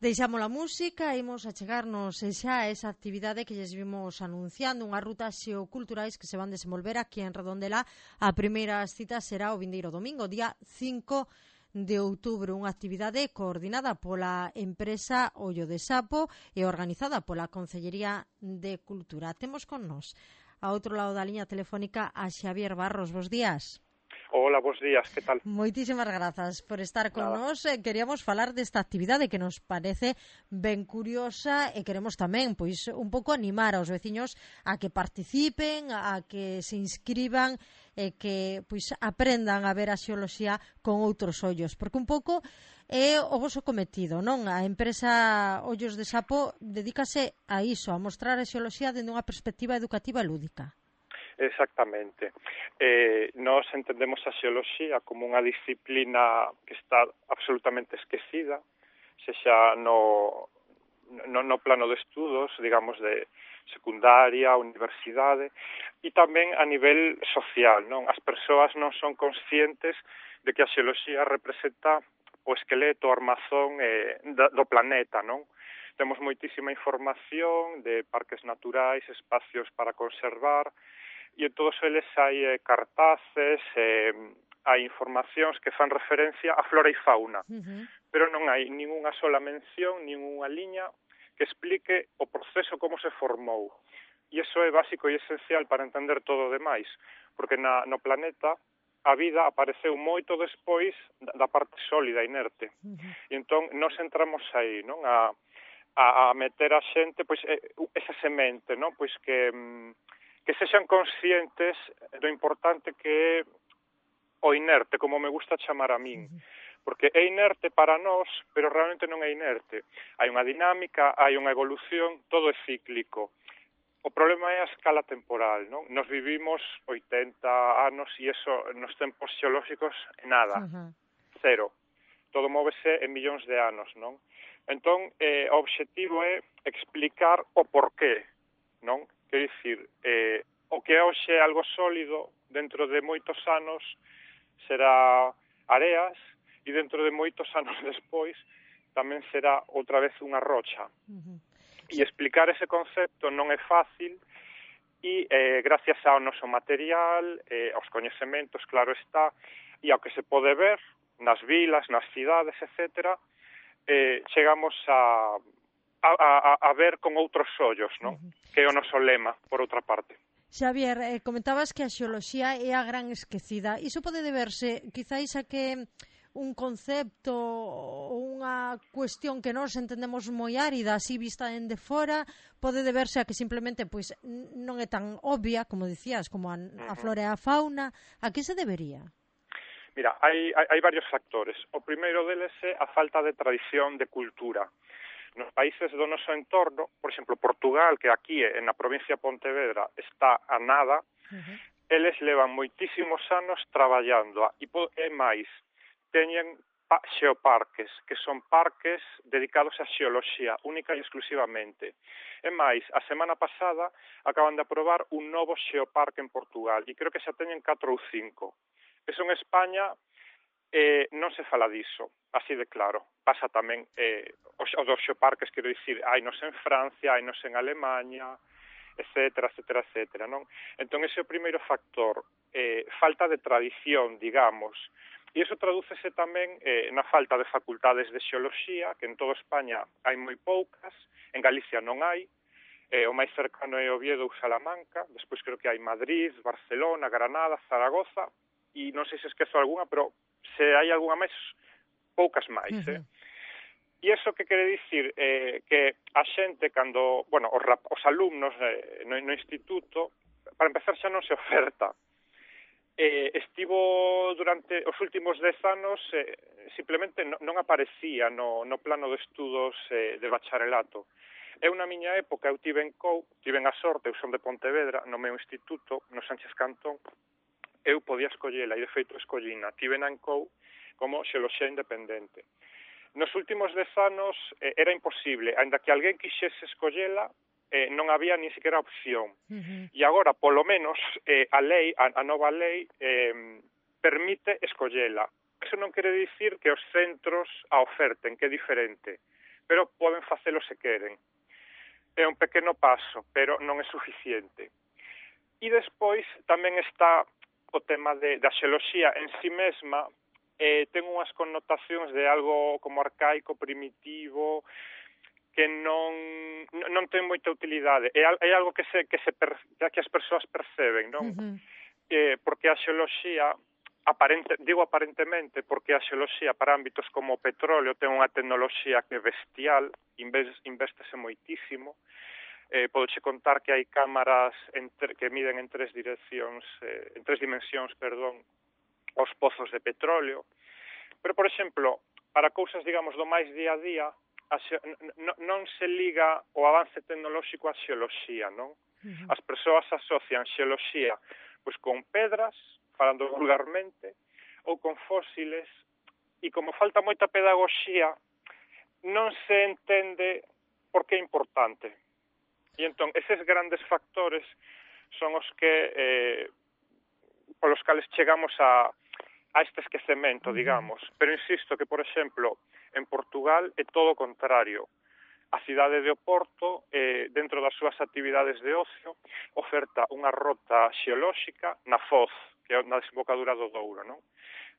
Deixamos a música e imos a chegarnos xa a esa actividade que lles vimos anunciando, unhas rutas xeoculturais que se van desenvolver aquí en Redondela. A primeira cita será o vindeiro domingo, día 5 de outubro, unha actividade coordinada pola empresa Ollo de Sapo e organizada pola Concellería de Cultura. Temos con nós, a outro lado da liña telefónica, a Xavier Barros. Bos días. Hola, bos días, que tal? Moitísimas grazas por estar con nós. Queríamos falar desta actividade que nos parece ben curiosa e queremos tamén, pois, un pouco animar aos veciños a que participen, a que se inscriban e que, pois, aprendan a ver a xeoloxía con outros ollos, porque un pouco é o voso cometido, non? A empresa Ollos de Sapo dedícase a iso, a mostrar a xeoloxía dende unha perspectiva educativa e lúdica. Exactamente. Nós entendemos a xeoloxía como unha disciplina que está absolutamente esquecida, sexa no plano de estudos, digamos, de secundaria, universidade, e tamén a nivel social, non? As persoas non son conscientes de que a xeoloxía representa o esqueleto, o armazón do planeta, non? Temos moitísima información de parques naturais, espacios para conservar, e en todos eles hai cartaces, hai informacións que fan referencia a flora e fauna, pero non hai ninguna sola mención, ninguna liña que explique o proceso como se formou. E iso é básico e esencial para entender todo o demais, porque no planeta a vida apareceu moito despois da parte sólida, inerte. E entón, nós entramos aí, non? A meter a xente, pois, esa semente, non? Pois que sexan conscientes do importante que é o inerte, como me gusta chamar a min. Porque é inerte para nós, pero realmente non é inerte. Hai unha dinámica, hai unha evolución, todo é cíclico. O problema é a escala temporal, non? Nos vivimos 80 anos e eso nos tempos xeolóxicos é nada, cero. Todo móvese en millóns de anos, non? Entón, o obxectivo é explicar o porqué, non? Quer dicir, o que hoxe é algo sólido, dentro de moitos anos será areas, e dentro de moitos anos despois tamén será outra vez unha rocha. E explicar ese concepto non é fácil, e gracias ao noso material, aos coñecementos, claro está, e ao que se pode ver nas vilas, nas cidades, etcétera, chegamos a ver con outros ollos, non? Que é o noso lema, por outra parte. Xavier, comentabas que a xeoloxía é a gran esquecida. Iso pode deberse, quizáis, a que un concepto ou unha cuestión que nós entendemos moi árida, así vista dende fora, pode deberse a que simplemente pois non é tan obvia, como dicías, como a flora e a fauna. A que se debería? Mira, hai varios factores. O primeiro deles é a falta de tradición de cultura. Nos países do noso entorno, por exemplo, Portugal, que aquí na provincia de Pontevedra está a nada, eles levan moitísimos anos traballando, e máis, teñen xeoparques, que son parques dedicados á xeoloxía, única e exclusivamente. E máis, a semana pasada acaban de aprobar un novo xeoparque en Portugal, e creo que xa teñen 4 ou 5. Eso en España non se fala diso, así de claro. Pasa tamén os dos xeoparques, quero dicir, hainos en Francia, hainos en Alemanha, etcétera, etcétera, etcétera, non? Entón, ese é o primeiro factor, falta de tradición, digamos, e iso tradúcese tamén na falta de facultades de xeoloxía, que en toda España hai moi poucas, en Galicia non hai, o máis cercano é Oviedo ou Salamanca, despois creo que hai Madrid, Barcelona, Granada, Zaragoza, e non sei se esquezo algunha, pero se hai algunha máis, poucas máis, E iso que quere dicir que a xente, cando, bueno, os alumnos no instituto, para empezar xa non se oferta. Estivo durante os últimos 10 anos, simplemente non aparecía no plano de estudos de bacharelato. Eu na miña época, eu tiven a sorte, eu son de Pontevedra, no meu instituto, no Sánchez Cantón, eu podía escollela, e de feito escollina, tivena en COU como xeoloxía independente. Nos últimos 10 anos era imposible, ainda que alguén quixese escollela, non había ni sequera opción. E agora, polo menos, a nova lei, permite escollela. Eso non quere dicir que os centros a oferten, que é diferente. pero poden facelo se queren. É un pequeno paso, pero non é suficiente. E despois tamén está o tema da xeoloxía en si mesma, ten unhas connotacións de algo como arcaico, primitivo, que non ten moita utilidade. É algo que as persoas perceben, non? Porque a xeoloxía, digo aparentemente, porque a xeoloxía para ámbitos como o petróleo ten unha tecnoloxía que é bestial, investése moitísimo. Podoche contar que hai cámaras que miden en tres dimensións, os pozos de petróleo. Pero, por exemplo, para cousas, digamos, do máis día a día, non se liga o avance tecnolóxico á xeoloxía, non? As persoas asocian xeoloxía pois con pedras, falando vulgarmente, ou con fósiles, e como falta moita pedagogía, non se entende por que é importante. E entón, eses grandes factores son os que polos cales chegamos a este esquecemento, digamos. Pero insisto que, por exemplo, en Portugal é todo o contrario. A cidade de Oporto, dentro das súas actividades de ocio, oferta unha rota xeolóxica na Foz, que é na desembocadura do Douro, non?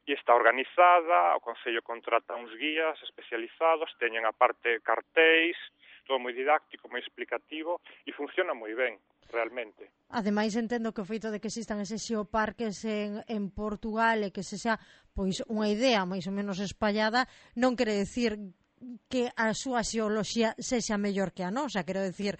E está organizada, o Concello contrata uns guías especializados, teñen aparte cartéis, todo moi didáctico, moi explicativo, e funciona moi ben, realmente. Ademais, entendo que o feito de que existan eses xeoparques en Portugal e que se xa pois unha idea máis ou menos espallada, non quere decir que a súa xeoloxía sexa mellor que a nosa, quero decir,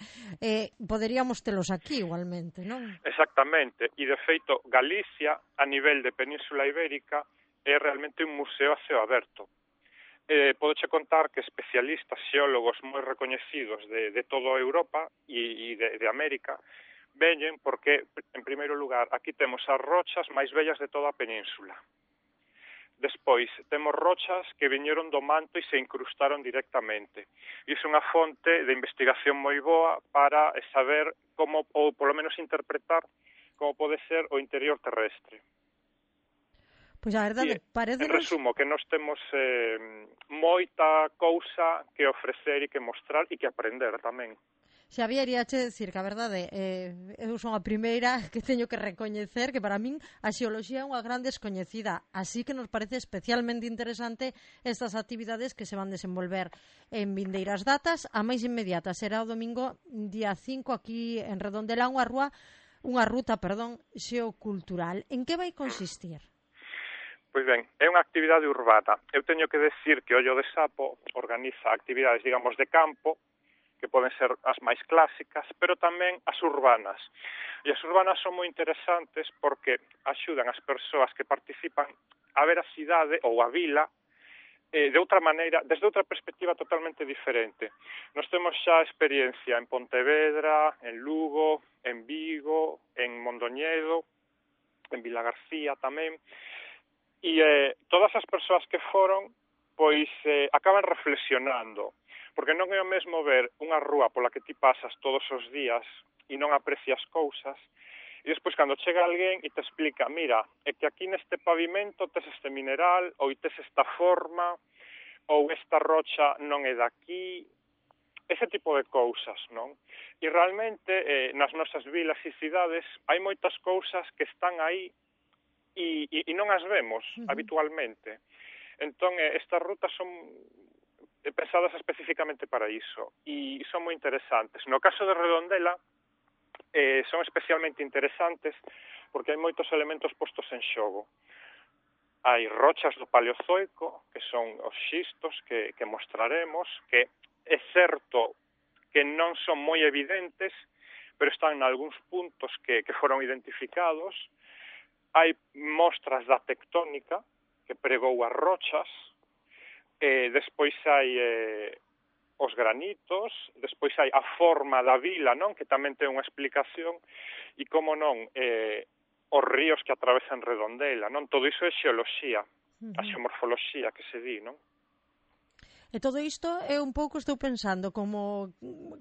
poderíamos telos aquí igualmente, non? Exactamente, e de feito Galicia, a nivel de Península Ibérica, é realmente un museo a ceo aberto. Podoche contar que especialistas, xeólogos moi recoñecidos de toda Europa e de América veñen porque, en primeiro lugar, aquí temos as rochas máis bellas de toda a península. Despois, temos rochas que viñeron do manto e se incrustaron directamente. E iso é unha fonte de investigación moi boa para saber como, ou polo menos interpretar, como pode ser o interior terrestre. Pois a verdade, en resumo, que nós temos moita cousa que ofrecer e que mostrar e que aprender tamén. Xavier, iache dicir que a verdade, eu son a primeira que teño que recoñecer que para min a xeoloxía é unha gran descoñecida, así que nos parece especialmente interesante estas actividades que se van desenvolver en vindeiras datas. A máis inmediata será o domingo día 5 aquí en Redondela, unha ruta xeocultural. En que vai consistir? Pois ben, é unha actividade urbana. Eu teño que decir que Ollo de Sapo organiza actividades, digamos, de campo, que poden ser as máis clásicas, pero tamén as urbanas. E as urbanas son moi interesantes porque axudan as persoas que participan a ver a cidade ou a vila de outra maneira, desde outra perspectiva totalmente diferente. Nos temos xa experiencia en Pontevedra, en Lugo, en Vigo, en Mondoñedo, en Vilagarcía tamén, e todas as persoas que foron pois acaban reflexionando, porque non é o mesmo ver unha rúa pola que ti pasas todos os días e non aprecias cousas, e despois cando chega alguén e te explica, mira, é que aquí neste pavimento tes este mineral, ou tes esta forma, ou esta rocha non é daqui, ese tipo de cousas, non? E realmente nas nosas vilas e cidades hai moitas cousas que están aí e non as vemos habitualmente. Entón, estas rutas son pensadas especificamente para iso e son moi interesantes. No caso de Redondela, son especialmente interesantes porque hai moitos elementos postos en xogo. Hai rochas do Paleozoico, que son os xistos que mostraremos, que é certo que non son moi evidentes, pero están en algúns puntos que foron identificados. Hai mostras da tectónica que pregou as rochas, despois hai os granitos, despois hai a forma da vila, non? Que tamén ten unha explicación, e como non, os ríos que atravesan Redondela, non? Todo iso é xeoloxía, a xeomorfoloxía que se di, non? E todo isto é un pouco, estou pensando, como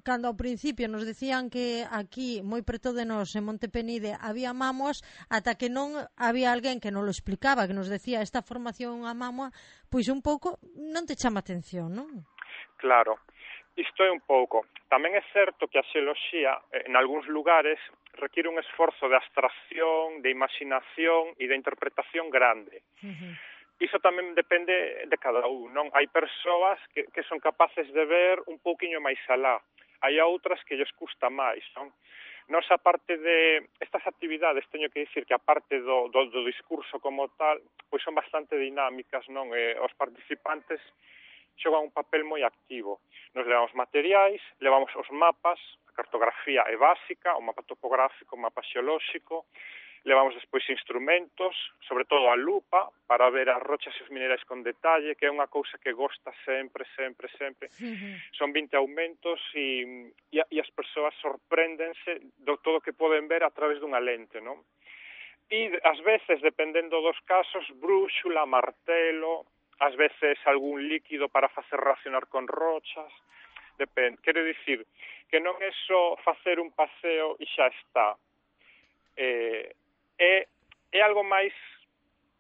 cando ao principio nos decían que aquí, moi preto de nós, en Monte Penide, había mámoas, ata que non había alguén que nos lo explicaba, que nos decía esta formación a mámoa, pois un pouco non te chama atención, non? Claro. Isto é un pouco. Tamén é certo que a xeoloxía, en algúns lugares, requiere un esforzo de abstracción, de imaginación e de interpretación grande. Iso tamén depende de cada un, non? Hai persoas que son capaces de ver un pouquiño máis alá. Hai outras que lles custa máis, non? Nos, aparte de estas actividades, teño que dicir que aparte do discurso como tal, pois son bastante dinámicas, non? Os participantes xogan un papel moi activo. Nos levamos materiais, levamos os mapas, a cartografía é básica, o mapa topográfico, o mapa xeolóxico, levamos despois instrumentos, sobre todo a lupa, para ver as rochas e os minerais con detalle, que é unha cousa que gosta sempre. Son 20 aumentos e as persoas sorpréndense do todo que poden ver a través dunha lente, non? E, ás veces, dependendo dos casos, brúxula, martelo, ás veces algún líquido para facer reaccionar con rochas, depende. Quero dicir que non é só facer un paseo e xa está. É algo máis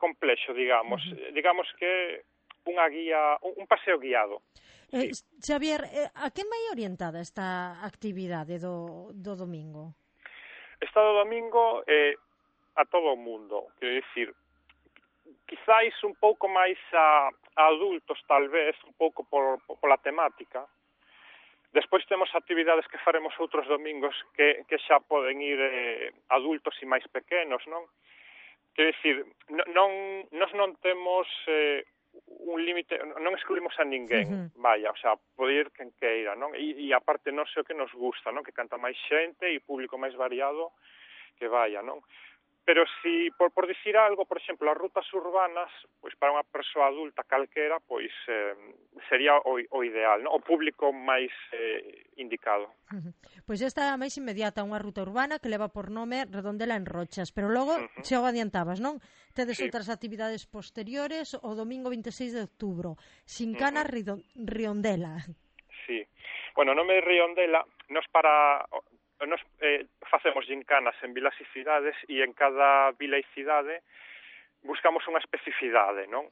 complexo, digamos. Digamos que unha guía, un paseo guiado. Xavier, a que vai orientada esta actividade do domingo? Esta do domingo a todo o mundo, quero dicir, quizáis un pouco máis a adultos, tal vez, un pouco pola temática. Despois temos actividades que faremos outros domingos que xa poden ir adultos e máis pequenos, non? Quero dicir, nós non temos un límite, non excluímos a ninguén, vaya, o sea, pode ir quen queira, non? E aparte non sei o que nos gusta, non? Que canta máis xente e público máis variado que vaya, non? Pero si, por dicir algo, por exemplo, as rutas urbanas, pois para unha persoa adulta calquera, pois sería o ideal, non? O público máis indicado. Pois esta é a máis inmediata, unha ruta urbana que leva por nome Redondela en Rochas, pero logo, xa o adiantabas, non? Tedes outras actividades posteriores, o domingo 26 de outubro, Xincana Riondela. Sí. Bueno, o nome de Riondela, nos facemos gincanas en vilas e cidades e en cada vila e cidade buscamos unha especificidade, non?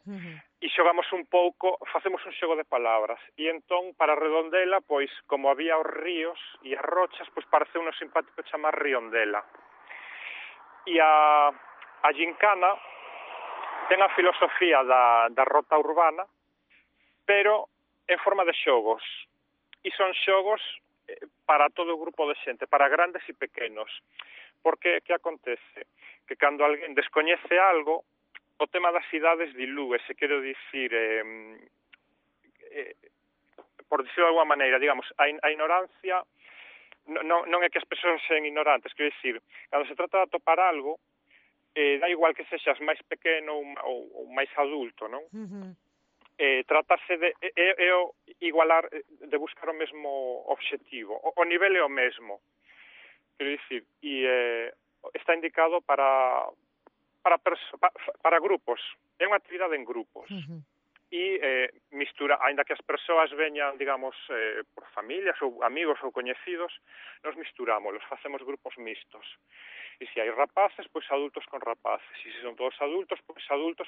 E xogamos un pouco, facemos un xogo de palabras. E entón, para Redondela, pois, como había os ríos e as rochas, pois parece uno simpático chamar Riondela. E a gincana ten a filosofía da rota urbana, pero en forma de xogos. E son xogos para todo o grupo de xente, para grandes e pequenos. Porque que acontece? Que cando alguén descoñece algo, o tema das cidades dilúese, quero dicir, por dicirlo de alguma maneira, digamos, a ignorancia non é que as persoas sean ignorantes, quero dicir, cando se trata de atopar algo, dá igual que sexas máis pequeno ou máis adulto, non? Trátase de igualar, de buscar o mesmo obxectivo. O nivel é o mesmo. Quero dicir, e está indicado para grupos. É unha actividade en grupos. E mistura, aínda que as persoas veñan, digamos, por familias ou amigos ou coñecidos, nos misturamos, facemos grupos mixtos. E se hai rapaces, pois adultos con rapaces. E se son todos adultos,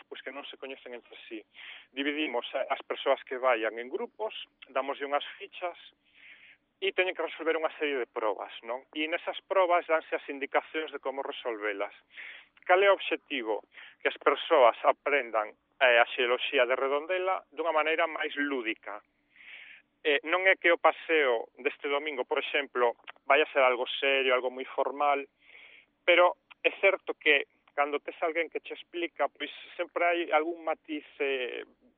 pois que non se coñecen entre sí. Dividimos as persoas que vayan en grupos, damoslle unhas fichas e teñen que resolver unha serie de probas, non? E nesas probas danse as indicacións de como resolvelas. Cal é o obxectivo? Que as persoas aprendan a xeoloxía de Redondela dunha maneira máis lúdica. Non é que o paseo deste domingo, por exemplo, vai a ser algo serio, algo moi formal, pero é certo que cando tes alguén que che explica, pois sempre hai algún matiz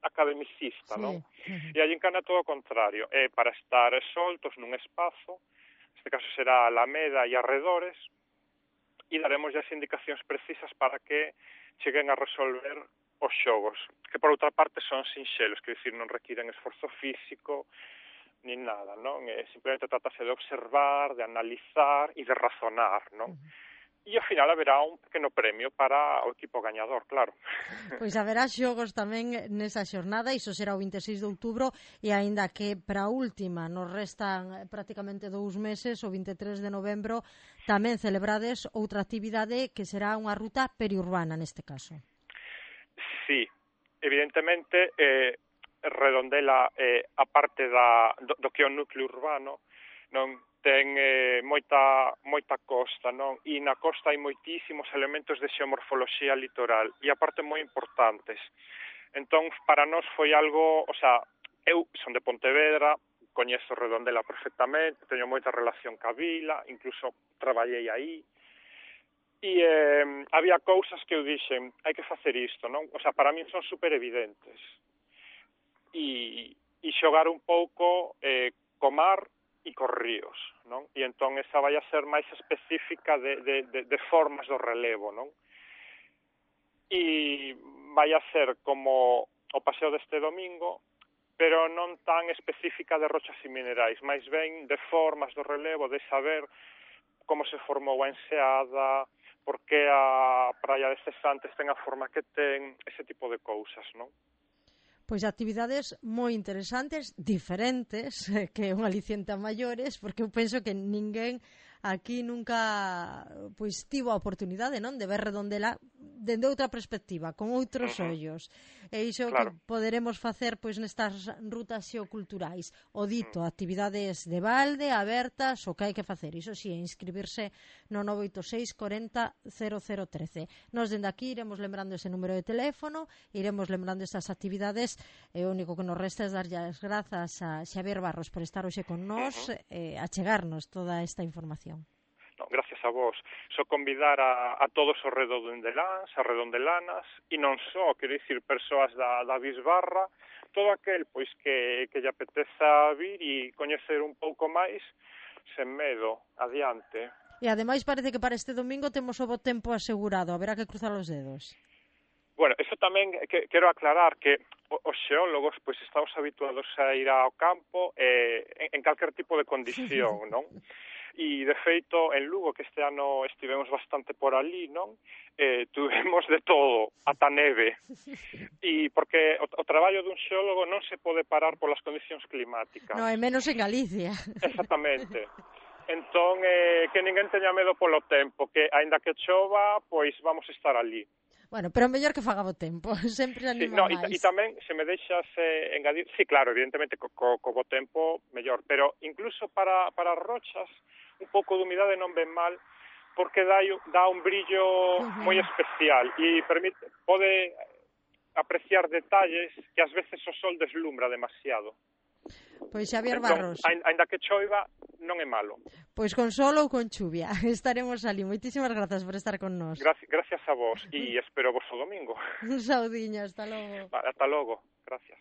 academicista, non? E a gincana é todo o contrario, é para estar soltos nun espazo, neste caso será a Alameda e arredores, e daremos as indicacións precisas para que cheguen a resolver os xogos, que por outra parte son sinxelos, que dicir, non requiren esforzo físico, nin nada, non? Simplemente tratase de observar, de analizar e de razonar, non? E ao final haberá un pequeno premio para o equipo gañador, claro. Pois haberá xogos tamén nesa xornada, iso será o 26 de outubro, e aínda que para a última nos restan prácticamente 2 meses, o 23 de novembro, tamén celebrades outra actividade que será unha ruta periurbana neste caso. Sí, evidentemente Redondela, a parte do que é o núcleo urbano, non ten moita costa, non? E na costa hai moitísimos elementos de xeomorfoloxía litoral e aparte moi importantes. Entón, para nós foi algo, o sea, eu son de Pontevedra, coñezo Redondela perfectamente, teño moita relación ca vila, incluso traballei aí, e había cousas que eu dixen, hai que facer isto, non? O sea, para min son super evidentes. E xogar un pouco co mar e cos ríos, non? E entón esa vai a ser máis específica de formas do relevo, non? E vai a ser como o paseo deste domingo, pero non tan específica de rochas e minerais, máis ben de formas do relevo, de saber como se formou a enseada, por que a praia de Cesantes ten a forma que ten, ese tipo de cousas, non? Pois actividades moi interesantes, diferentes, que un aliciente a maiores, porque eu penso que ninguén aquí nunca pois tivo a oportunidade, non, de ver Redondela dende outra perspectiva, con outros ollos. E iso claro, que poderemos facer pois nestas rutas xeoculturais. O dito, actividades de balde, abertas, o que hai que facer. Iso si, inscribirse no 986 40 0013. Nos dende aquí iremos lembrando ese número de teléfono, iremos lembrando estas actividades, e o único que nos resta é darlle as grazas a Xavier Barros por estar hoxe con nós, a chegarnos toda esta información. No, gracias a vos. Só convidar a todos os redondeláns, a redondelanas, e non só, quero dicir, persoas da Bisbarra, todo aquel pois que lle apeteza vir e coñecer un pouco máis, sen medo, adiante. E ademais parece que para este domingo temos o bo tempo asegurado, haberá que cruzar os dedos. Bueno, eso tamén quero aclarar que os xeólogos pois estamos habituados a ir ao campo en calquer tipo de condición, non? E, de feito, en Lugo, que este ano estivemos bastante por ali, non? Tuvemos de todo, ata neve. E porque o traballo dun xeólogo non se pode parar polas condicións climáticas. Non, é menos en Galicia. Exactamente. Entón, que ninguén teña medo polo tempo, que, aínda que chova, pois vamos estar ali. Bueno, pero mellor que faga bo tempo, sempre anima máis. E tamén, se me deixas engadir, sí, claro, evidentemente, co bo tempo, mellor, pero incluso para as rochas, un pouco de humidade non ven mal, porque dá un brillo moi especial e pode apreciar detalles que ás veces o sol deslumbra demasiado. Pois Xavier Barros. Ainda que choiva, non é malo. Pois con sol ou con chuvia, estaremos ali. Moitísimas grazas por estar con nós. Gracias a vos e espero vos o domingo. Un saudiño, hasta logo. Vale, hasta logo, gracias.